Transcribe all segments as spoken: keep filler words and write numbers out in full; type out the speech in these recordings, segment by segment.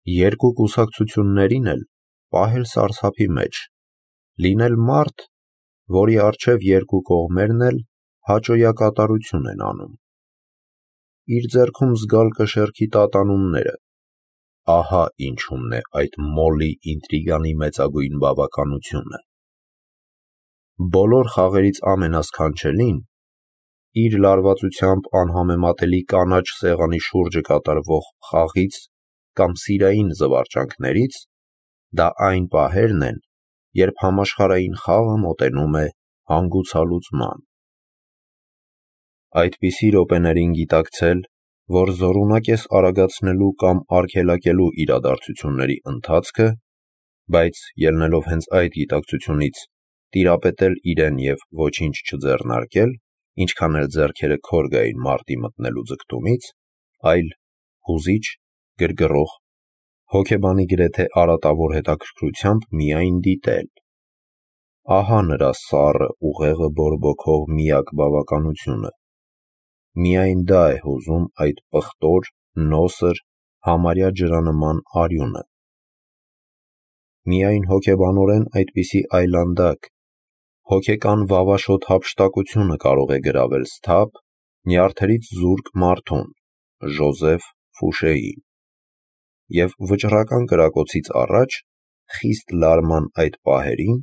երկու կուսակցություններին էլ պահել սարսափի մեջ, լինել մարդ, որի առջև երկու կողմերն էլ հաճոյակատարություն են անում։ Իր ձեռքում զգալ կշեռքի տատանումները, ահա ինչումն է այդ մոլի ինտրիգանի մեծագույն բավականությունը։ Բոլոր խաղերից ամենասքանչելին, իր լարվածությամբ անհամեմատելի կանաչ սեղանի շուրջը կատարվող խաղից կամ սիրային զվարճանքներից, դա այն պահերն են, երբ համաշխարհային խաղը մոտենում է հանգուցալուծման։ Այդպիսի րոպեներին գիտակցել, որ զորունակ ես արագացնելու կամ արգելակելու իրադարձությունների ընթացքը, բայց ելնելով հենց այդ գիտակցությունից տիրապետել իրեն և ոչինչ չձեռնարկել, ինչքան էլ ձեռքերը քոր գային մարտի մտնելու ձգտումից, այլ հուզիչ, գրգռող, հոգեբանի գրեթե արատավոր հետաքրքրությամբ միայն դիտել։ Ահա նրա սառը ուղեղը բորբոքող միակ բավականությունը։ Միայն դա է հուզում այդ պղտոր, նոսր, համարյա ջրանման արյունը։ Միայն հոգեբանորեն այդպիսի այլանդակ, հոգեկան վավաշոտ հափշտակությունը կարող է գրավել սթափ, նյարդերից զուրկ մարդուն՝ Ժոզեֆ Ֆուշեին։ Եվ վճռական կրակոցից առաջ, խիստ լարման այդ պահերին,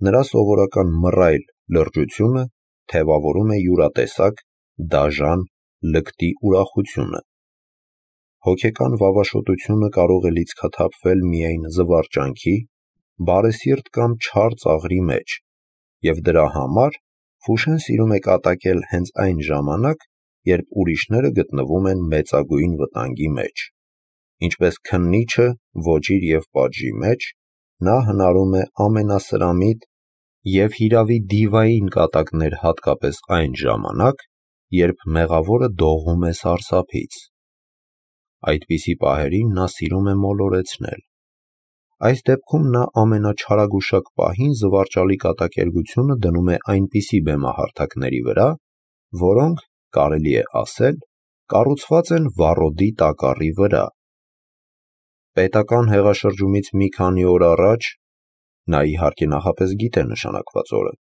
նրա սովորական մռայլ լրջությունը թևավորում է յուրատեսակ, դաժան լկտի ուրախությունը։ Հոգեկան վավաշոտությունը կարող է լիցքաթափվել միայն զվարճանքի, բարեսիրտ կամ չար ծաղրի մեջ, և դրա համար Ֆուշեն սիրում է կատակել հենց այն ժամանակ, երբ ուրիշները գտնվում են մեծագույն վտանգի մեջ։ Ինչպես քննիչը ոճիր և պատժի մեջ, նա հնարում է ամենասրամիտ և հիրավի դիվային կատակներ հատկապես այն ժամանակ, երբ մեղավորը դողում է սարսափից։ Այդպիսի պահերին նա սիրում է մոլորեցնել։ Այս դեպքում նա ամենաչարագուշակ պահին զվարճալի կատակերգությունը դնում է այնպիսի բեմահարթակների վրա, որոնք, կարելի է ասել, կառուցված են վառոդի տակառի վրա։ Պետական հեղաշրջումից մի քանի օր առաջ (նա իհարկե նախապես գիտե նշանակված օրը)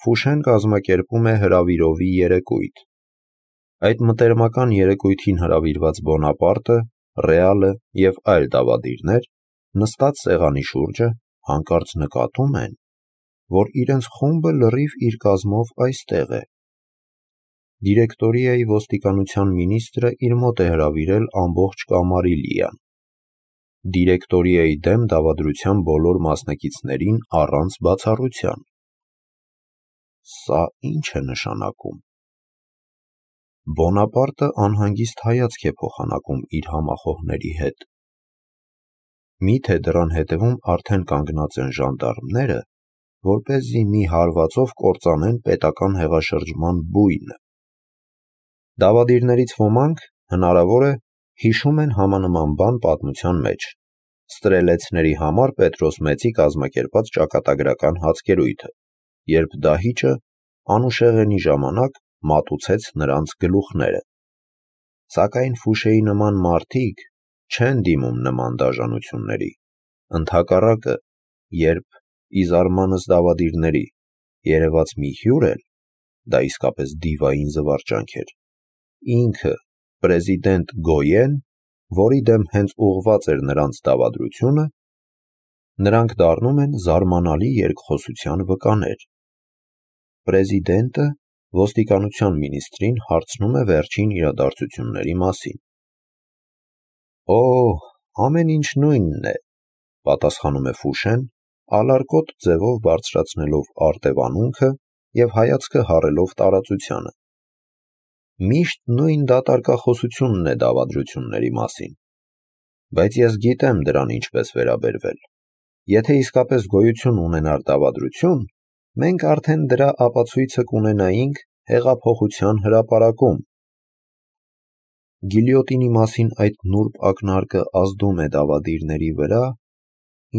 Ֆուշեն կազմակերպում է հրավիրովի երեկույթ։ Այդ մտերմական երեկույթին հրավիրված Բոնապարտը, Ռեալը և այլ դավադիրներ, նստած սեղանի շուրջը, հանկարծ նկատում են, որ իրենց խումբը լրիվ իր կազմով այստեղ է։ Դիրեկտորիայի ոստիկանության մինիստրը իր մոտ է հրավիրել ամբողջ կամարիլիան։ Դիրեկտորիայի դեմ դավադրության բոլոր մասնակիցներին առանց բացառության։ Սա ի՞նչ է նշանակում։ Բոնապարտը անհանգիստ հայացք է փոխանակում իր համախոհների հետ։ Մի՞թե դռան հետևում արդեն կանգնած են ժանդարմները, որպեսզի մի հարվածով կործանեն պետական հեղաշրջման բույնը։ Դավադիրներից ոմանք, հնարավոր է, հիշում են համանման բան պատմության մեջ՝ ստրելեցների համար Պետրոս Մեծի կազմակերպած ճակատագրական հացկերույթը, երբ դահիճը անուշեղենի ժամանակ մատուցեց նրանց գլուխները։ Սակայն Ֆուշեի նման մարդիկ չեն դիմում նման դաժանությունների, ընդհակառակը, երբ, ի զարմանս դավադիրների, երևաց մի հյուր էլ (դա իսկապես դիվային զվարճանք էր), ինքը պրեզիդենտ Գոյեն, որի դեմ հենց ուղղված էր նրանց դավադրությունը, նրանք դառնում են զարմանալի երկխոսության վկաներ։ Պրեզիդենտը ոստիկանության մինիստրին հարցնում է վերջին իրադարձությունների մասին։ «Օ, ամեն ինչ նույնն է», պատասխանում է Ֆուշեն, ալարկոտ ձևով բարձրացնելով արտևանունքը և հայացքը հառելով տարածությանը։ «Միշտ նույն դատարկախոսությունն է դավադրությունների մասին։ Բայց ես գիտեմ դրան ինչպես վերաբերվել։ Եթե իսկապես գոյություն ունենար դավադրություն, մենք արդեն դրա ապացույցը կունենայինք հեղափոխության հրապարակում»։ Գիլյոտինի մասին այդ նուրբ ակնարկը ազդում է դավադիրների վրա,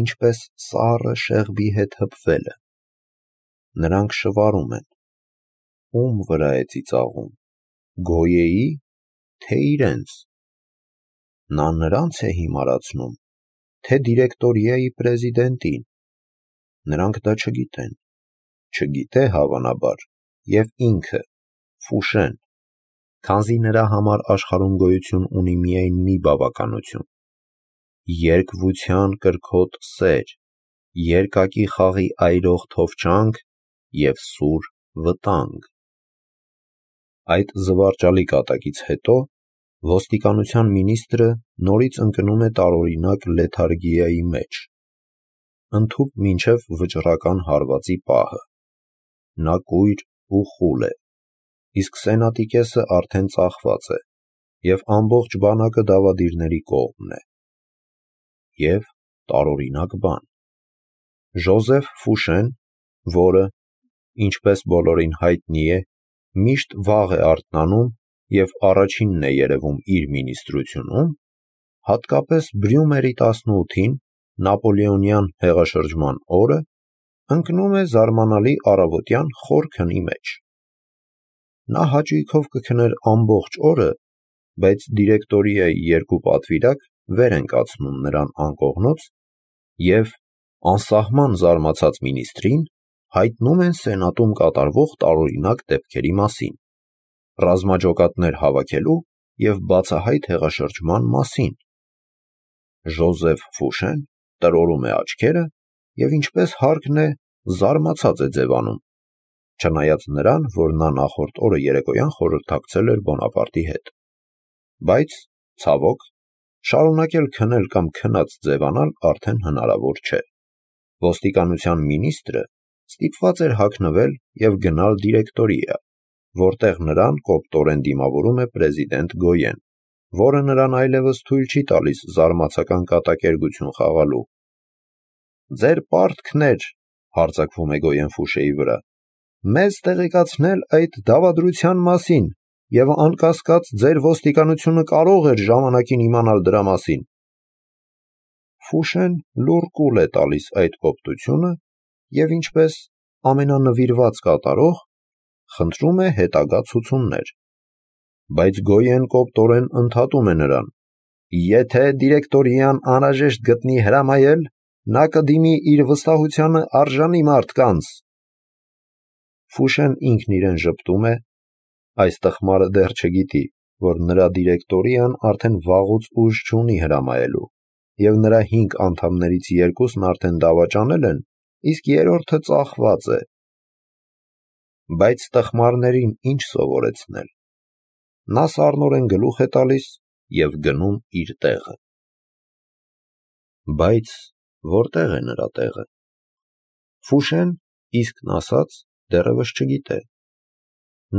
ինչպես սառը շեղբի հետ հպվելը։ Նրանք շվարում են. ում վրա է ծիծաղում՝ Գոյեի, թե իրենց։ նա նրանց է հիմարացնում, թե դիրեկտորիայի պրեզիդենտին։ Նրանք դա չգիտեն, չգիտե հավանաբար և ինքը, Ֆուշեն, քանզի նրա համար աշխարհում գոյություն ունի միայն մի բավականություն՝ երկվության կրքոտ սեր, երկակի խաղի այրող թովչանք և սուր վտանգ։ Այդ զվարճալի կատակից հետո ոստիկանության մինիստրը նորից ընկնում է տարօրինակ լեթարգիայի մեջ, ընդհուպ մինչև վճռական հարվածի պահը։ Նա կույր ու խուլ է, իսկ սենատի կեսը արդեն ծախված է, և ամբողջ բանակը դավադիրների կողմն է։ Եվ տարօրինակ բան. Ժոզեֆ Ֆուշեն, որը, ինչպես բոլորին հայտնի է, միշտ վաղ է արթնանում և առաջինն է երևում իր մինիստրությունում, հատկապես Բրյումերի տասնութին, նապոլեոնյան հեղաշրջման օրը, ընկնում է զարմանալի առավոտյան խոր քնի մեջ։ Նա հաճույքով կքներ ամբողջ օրը, բայց դիրեկտորիայի երկու պատվիրակ վեր են կացնում նրան անկողնուց և, անսահման զարմացած մինիստրին, հայտնում են սենատում կատարվող տարօրինակ դեպքերի մասին, ռազմաջոկատներ հավաքելու և բացահայտ հեղաշրջման մասին։ Ժոզեֆ Ֆուշեն տրորում է աչքերը և, ինչպես հարկն է, զարմացած է ձևանում, չնայած նրան, որ նա նախորդ օրը երեկոյան խորհրդակցել էր Բոնապարտի հետ։ Բայց, ցավոք, շարունակել քնել կամ քնած ձևանալ արդեն հնարավոր չէ։ Ոստիկանության մինիստրը ստիպված էր հագնվել և գնալ դիրեկտորիա, որտեղ նրան կոպտորեն դիմավորում է պրեզիդենտ Գոյեն, որը նրան այլևս թույլ չի տալիս զարմացական կատակերգություն խաղալու։ «Ձեր պարտքն էր, — հարձակվում է Գոյեն Ֆուշեի վրա, — մեզ տեղեկացնել այդ դավադրության մասին, և անկասկած ձեր ոստիկանությունը կարող էր ժամանակին իմանալ դրա մասին»։ Ֆուշեն լուռ կուլ է տալիս այդ կոպտությունը և, ինչպես ամենանվիրված կատարող, խնդրում է հետագա ցուցումներ։ Բայց Գոյեն կոպտորեն ընդհատում է նրան. «Եթե դիրեկտորիան անհրաժեշտ գտնի հրամայել, նա կդիմի իր վստահությանը արժանի մարդկանց»։ Ֆուշեն ինքն իրեն ժպտում է. այս տխմարը դեռ չգիտի, որ նրա դիրեկտորիան արդեն վաղուց ուժ չունի հրամայելու, և նրա հինգ անդամներից երկուսն արդեն դավաճանել են, իսկ երրորդը ծախված է։ Բայց տխմարներին ինչ սովորեցնել։ Նա սառնորեն գլուխ է տալիս և գնում իր տեղը։ Բայց որտե՞ղ է նրա տեղը։ Ֆուշեն, իսկն ասած, դեռևս չգիտե։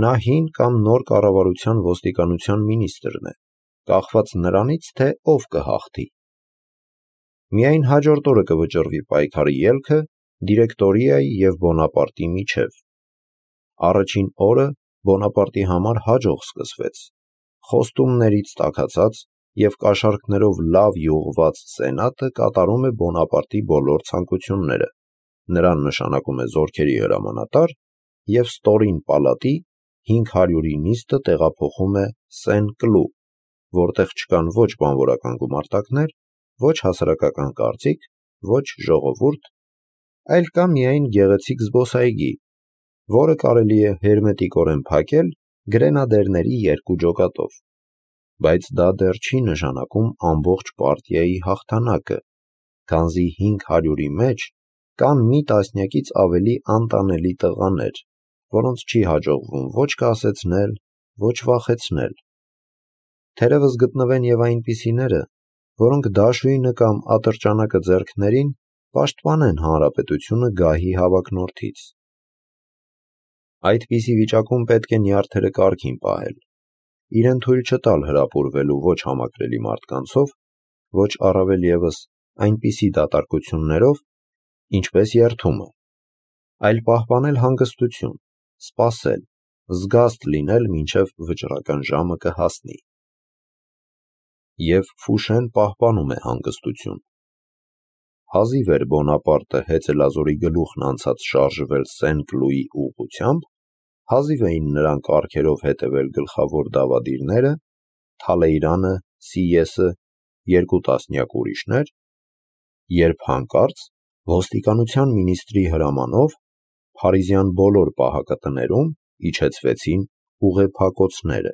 Նա հին կամ նոր կառավարության ոստիկանության մինիստրն է, կախված նրանից, թե ով կհաղթի։ Միայն հաջորդ օրը կվճռվի պայքարի ելքը դիրեկտորիայի և Բոնապարտի միջև։ Առաջին օրը Բոնապարտի համար հաջող սկսվեց։ Խոստումներից տաքացած և կաշառքներով լավ յուղված սենատը կատարում է Բոնապարտի բոլոր ցանկությունները, նրան նշանակում է զորքերի հրամանատար և ստորին պալատի հինգ հարյուրի նիստը տեղափոխում է Սեն-Կլու, որտեղ չկան ոչ բանվորական գումարտակներ, ոչ հասարակական կարծիք, ոչ ժողովուրդ, այլ կա միայն գեղեցիկ զբոսայգի, որը կարելի է հերմետիկորեն փակել գրենադերների երկու ջոկատով։ Բայց դա դեռ չի նշանակում ամբողջ պարտիայի հաղթանակը, քանզի հինգ հարյուրի մեջ կան մի տասնյակից ավելի անտանելի տղաներ, որոնց չի հաջողվում ոչ կասեցնել, ոչ վախեցնել։ Թերևս գտնվեն և այնպիսիները, որոնք դաշույնը կամ ատրճանակը ձեռքներին պաշտպանեն հանրապետությունը գահի հավակնորդից։ Այդպիսի վիճակում պետք է նյարդերը կարգին պահել, իրեն թույլ չտալ հրապուրվելու ոչ համակրելի մարդկանցով, ոչ առավել ևս այնպիսի դատարկություններով, ինչպես երդումը, այլ պահպանել հանգստություն, սպասել, զգաստ լինել, մինչև վճռական ժամը կհասնի։ Եվ Ֆուշեն պահպանում է հանգստություն։ Հազիվ էր Բոնապարտը հեծելազորի գլուխն անցած շարժվել Սեն-Կլուի ուղղությամբ, հազիվ էին նրան կառքերով հետևել գլխավոր դավադիրները՝ Թալեյրանը, Սիեսը երկու տասնյակ ուրիշներ, երբ հանկարծ ոստիկանության մինիստրի հրամանով Փարիզյան բոլոր պահակատներում իջեցվեցին ուղեփակոցները։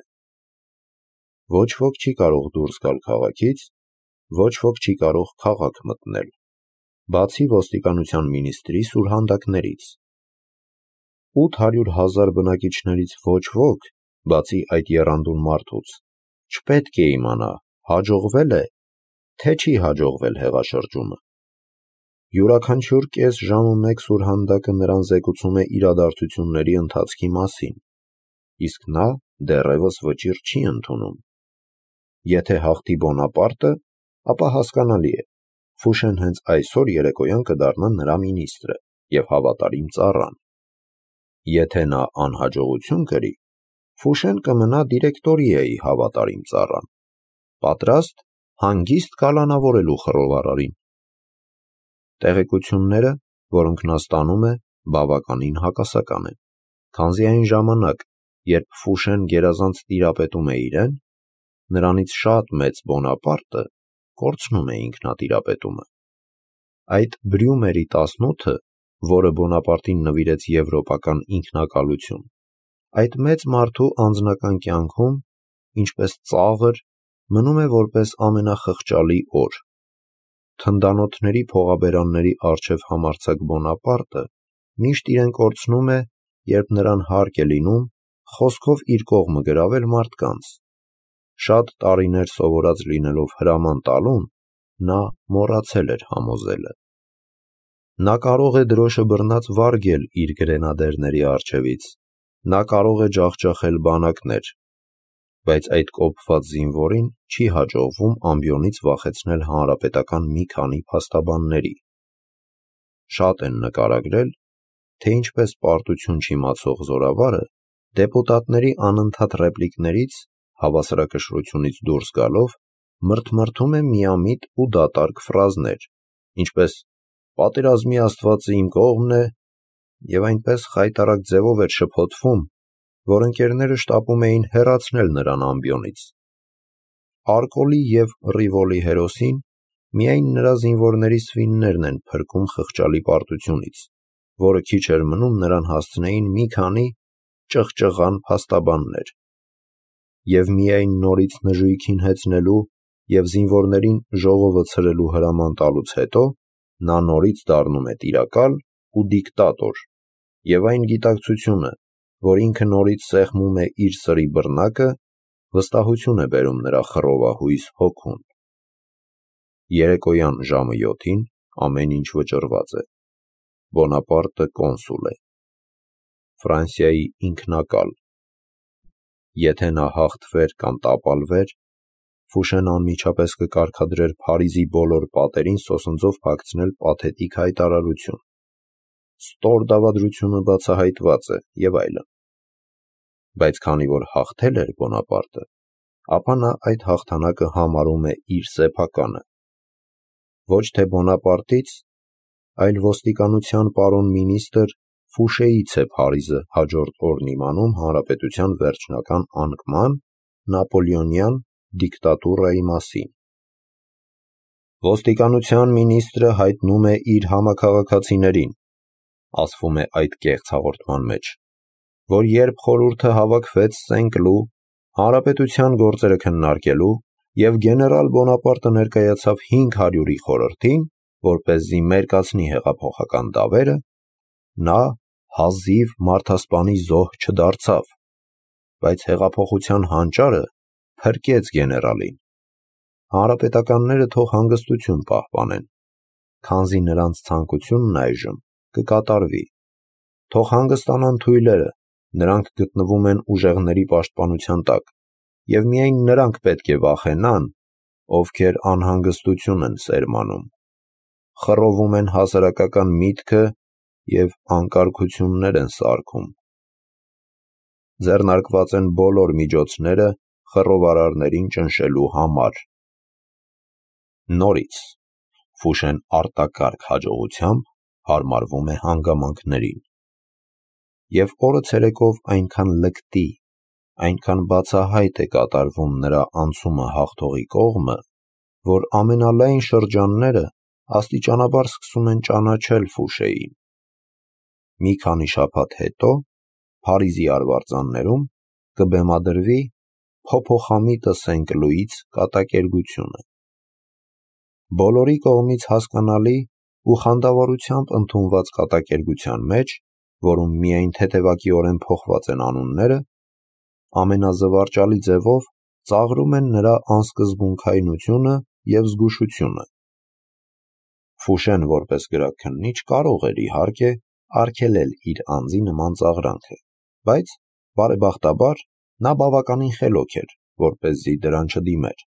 Ոչ ոք չի կարող դուրս գալ քաղաքից, ոչ ոք չի կարող քաղաք մտնել, բացի ոստիկանության մինիստրի սուրհանդակներից։ ութ հարյուր հազար բնակիչներից ոչ ոք, բացի այդ եռանդուն մարդուց, չպետք է իմանա հաջողվե՞լ է, թե չի հաջողվել հեղաշրջումը։ Յուրաքանչյուր կես ժամը մեկ սուրհանդակը նրան զեկուցում է իրադարձությունների ընթացքի մասին, իսկ նա դեռևս վճիռ չի ընդունում։ Եթե հաղթի Բոնապարտը, ապա հասկանալի է, Ֆուշեն հենց այսօր երեկոյան կդառնա նրա մինիստրը և հավատարիմ ծառան։ Եթե նա անհաջողություն կրի, Ֆուշեն կմնա դիրեկտորիայի հավատարիմ ծառան, պատրաստ հանգիստ կալանավորելու խռովարարին։ Տեղեկությունները, որոնք նա ստանում է, բավականին հակասական են, քանզի այն ժամանակ, երբ Ֆուշեն գերազանց տիրապետում է իրեն, նրանից շատ մեծ Բոնապարտը կորցնում է ինքնատիրապետումը։ Այդ Բրյումերի տասնութը, որը Բոնապարտին նվիրեց եվրոպական ինքնակալություն, այդ մեծ մարդու անձնական կյանքում, ինչպես ծաղր, մնում է որպես ամենախղճալի օր։ Թնդանոթների փողաբերանների առջև համարձակ Բոնապարտը միշտ իրեն կորցնում է, երբ նրան հարկ է լինում խոսքով իր կողմը գրավել մարդկանց։ Շատ տարիներ սովորած լինելով հրաման տալուն, նա մոռացել էր համոզելը։ Նա կարող է դրոշը բռնած վարգել իր գրենադերների առջևից, նա կարող է ջախջախել բանակներ, բայց այդ կոպված զինվորին չի հաջողվում ամբիոնից վախեցնել հանրապետական մի քանի փաստաբանների։ Շատ են նկարագրել, թե ինչպես պարտություն չիմացող զորավարը դեպուտատների անընդհատ ռեպլիկներից, հավասարակշռությունից դուրս գալով, մրթմրթում է միամիտ ու դատարկ ֆրազներ, ինչպես «պատերազմի աստվածը իմ կողմն է» և այնպես խայտառակ ձևով էր շփոթվում, որ ընկերները շտապում էին հեռացնել նրան ամբիոնից։ Արկոլի և Ռիվոլի հերոսին միայն նրա զինվորների սվիններն են փրկում խղճալի պարտությունից, որը քիչ էր մնում նրան հասցնեին մի քանի ճղճղան փաստաբաններ։ Եվ միայն նորից նժույգին հեծնելու և զինվորներին ժողովը ցրելու հրաման տալուց հետո նա նորից դառնում է տիրակալ ու դիկտատոր, և այն գիտակցությունը, որ ինքը նորից սեղմում է իր սրի բռնակը, վստահություն է բերում նրա խռովահույս հոգուն։ Երեկոյան ժամը յոթին ամեն ինչ վճռված է։ Բոնապարտը կոնսուլ է։ Ֆրանսիայի ինքնակալ։ Եթե նա հաղթվեր կամ տապալվեր, Ֆուշեն անմիջապես կկարգադրեր Փարիզի բոլոր պատերին սոսնձով փակցնել պաթետիկ հայտարարություն. «Ստոր դավադրությունը բացահայտված է» և այլն։ Բայց քանի որ հաղթել էր Բոնապարտը, ապա նա այդ հաղթանակը համարում է իր սեփականը։ Ոչ թե Բոնապարտից, այլ ոստիկանության պարոն մինիստր Ֆուշեից է Փարիզը հաջորդ օրն իմանում հանրապետության վերջնական անկման, նապոլեոնյան դիկտատուրայի մասին։ «Ոստիկանության մինիստրը հայտնում է իր համաքաղաքացիներին», ասվում է այդ կեղծ հաղորդման մեջ, որ երբ խորհուրդը հավաքվեց Սեն-Կլու հանրապետության գործերը քննարկելու և գեներալ Բոնապարտը ներկայացավ հինգ հարյուրի խորհրդին, որպեսզի մերկացնի հեղափոխական դավերը, նա հազիվ մարդասպանի զոհ չդարձավ, բայց հեղափոխության հանճարը փրկեց գեներալին։ Հանրապետականները թող հանգստություն պահպանեն, քանզի նրանց ցանկությունն այժմ կկատարվի։ Թող հանգստանան թույլերը, նրանք գտնվում են ուժեղների պաշտպանության տակ, և միայն նրանք պետք է վախենան, ովքեր անհանգստություն են սերմանում, խռովում են հասարակական միտքը և անկարգություններ են սարքում։ Ձեռնարկված են բոլոր միջոցները խռովարարներին ճնշելու համար։ Նորից Ֆուշեն արտակարգ հաջողությամբ հարմարվում է հանգամանքներին։ Եվ օրը ցերեկով այնքան լկտի, այնքան բացահայտ է կատարվում նրա անցումը հաղթողի կողմը, որ ամենալայն շրջանները աստիճանաբար սկսում են ճանաչել Ֆուշեին։ Մի քանի շաբաթ հետո Փարիզի արվարձաններում կբեմադրվի «Փոփոխամիտը Սենկլուից» կատակերգությունը։ Բոլորի կողմից հասկանալի ու խանդավառությամբ ընդունված կատակերգության մեջ, որում միայն թեթևակիորեն փոխված են անունները, ամենազվարճալի ձևով ծաղրում են նրա անսկզբունքայնությունը և զգուշությունը։ Ֆուշեն որպես գրաքննիչ կարող էր, իհարկե, արգելել իր անձի նման ծաղրանքը, բայց, բարեբախտաբար, նա բավականին խելոք էր, որպեսզի դրան չդիմեր։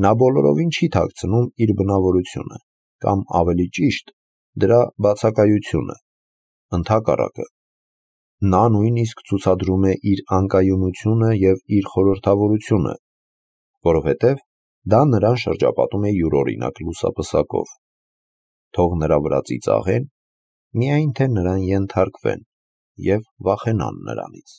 Նա բոլորովին չի թաքցնում իր բնավորությունը, կամ ավելի ճիշտ, դրա բացակայությունը։ Ընդհակառակը, նա նույնիսկ ցուցադրում է իր անկայունությունը և իր խորհրդավորությունը, որովհետև դա նրան շրջապատում է յուրօրինակ լուսապսակով։ Թող նրա վրա ծիծաղեն, միայն թե նրան ենթարկվեն և վախենան նրանից։